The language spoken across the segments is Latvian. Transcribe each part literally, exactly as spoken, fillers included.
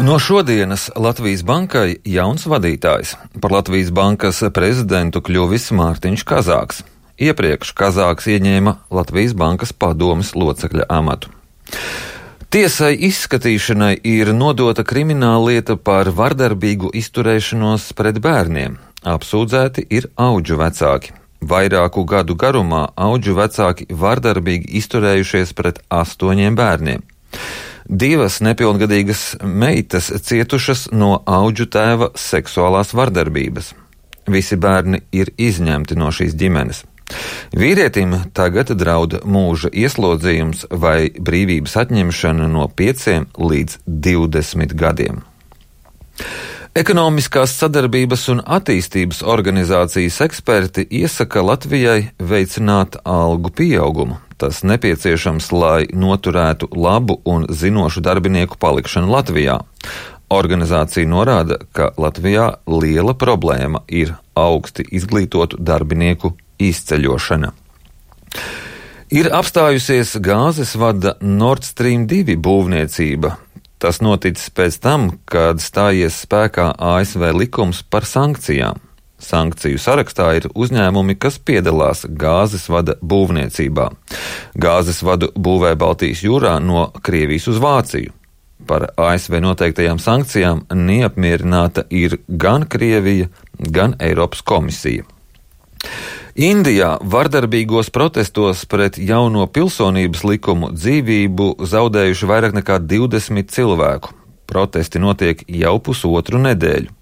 No šodienas Latvijas bankai jauns vadītājs. Par Latvijas bankas prezidentu kļuvis Mārtiņš Kazāks. Iepriekš Kazāks ieņēma Latvijas bankas padomes locekļa amatu. Tiesai izskatīšanai ir nodota krimināllieta par vardarbīgu izturēšanos pret bērniem. Apsūdzēti ir audžu vecāki. Vairāku gadu garumā audžu vecāki vardarbīgi izturējušies pret astoņiem bērniem. Divas nepilngadīgas meitas cietušas no audžu tēva seksuālās vardarbības. Visi bērni ir izņemti no šīs ģimenes. Vīrietim tagad draud mūža ieslodzījums vai brīvības atņemšana no pieciem līdz divdesmit gadiem. Ekonomiskās sadarbības un attīstības organizācijas eksperti iesaka Latvijai veicināt algu pieaugumu. Tas nepieciešams, lai noturētu labu un zinošu darbinieku palikšanu Latvijā. Organizācija norāda, ka Latvijā liela problēma ir augsti izglītotu darbinieku izceļošana. Ir apstājusies gāzes vada Nord Stream divi būvniecība. Tas noticis pēc tam, kad stājies spēkā A S V likums par sankcijām. Sankciju sarakstā ir uzņēmumi, kas piedalās gāzes vada būvniecībā. Gāzes vadu būvē Baltijas jūrā no Krievijas uz Vāciju. Par A S V noteiktajām sankcijām neapmierināta ir gan Krievija, gan Eiropas komisija. Indijā vardarbīgos protestos pret jauno pilsonības likumu dzīvību zaudējuši vairāk nekā divdesmit cilvēku. Protesti notiek jau pusotru nedēļu.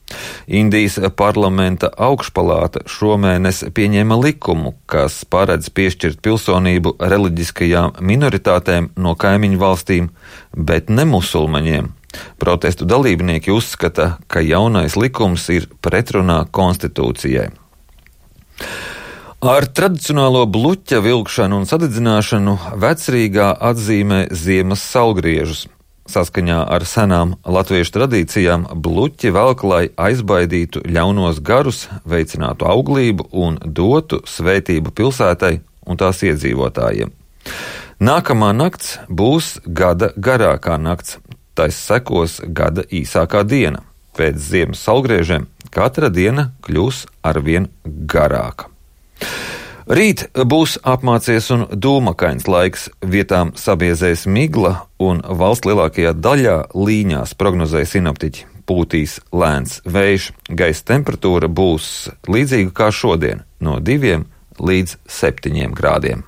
Indijas parlamenta augšpalāta šomēnes pieņēma likumu, kas paredz piešķirt pilsonību reliģiskajām minoritātēm no kaimiņu valstīm, bet ne musulmaņiem. Protestu dalībnieki uzskata, ka jaunais likums ir pretrunā konstitūcijai. Ar tradicionālo bluķa vilkšanu un sadedzināšanu Vecrīgā atzīmē ziemas saulgriežus. Saskaņā ar senām latviešu tradīcijām bluķi velk, lai aizbaidītu ļaunos garus, veicinātu auglību un dotu svētību pilsētai un tās iedzīvotājiem. Nākamā nakts būs gada garākā nakts, tais sekos gada īsākā diena. Pēc ziemas saulgriežiem katra diena kļūs arvien garāka. Rīt būs apmācies un dūmakains laiks, vietām sabiezēs migla un valsts lielākajā daļā līņās prognozēja sinoptiķi. Pūtīs lēns vējš, gaisa temperatūra būs līdzīga kā šodien, no diviem līdz septiņiem grādiem.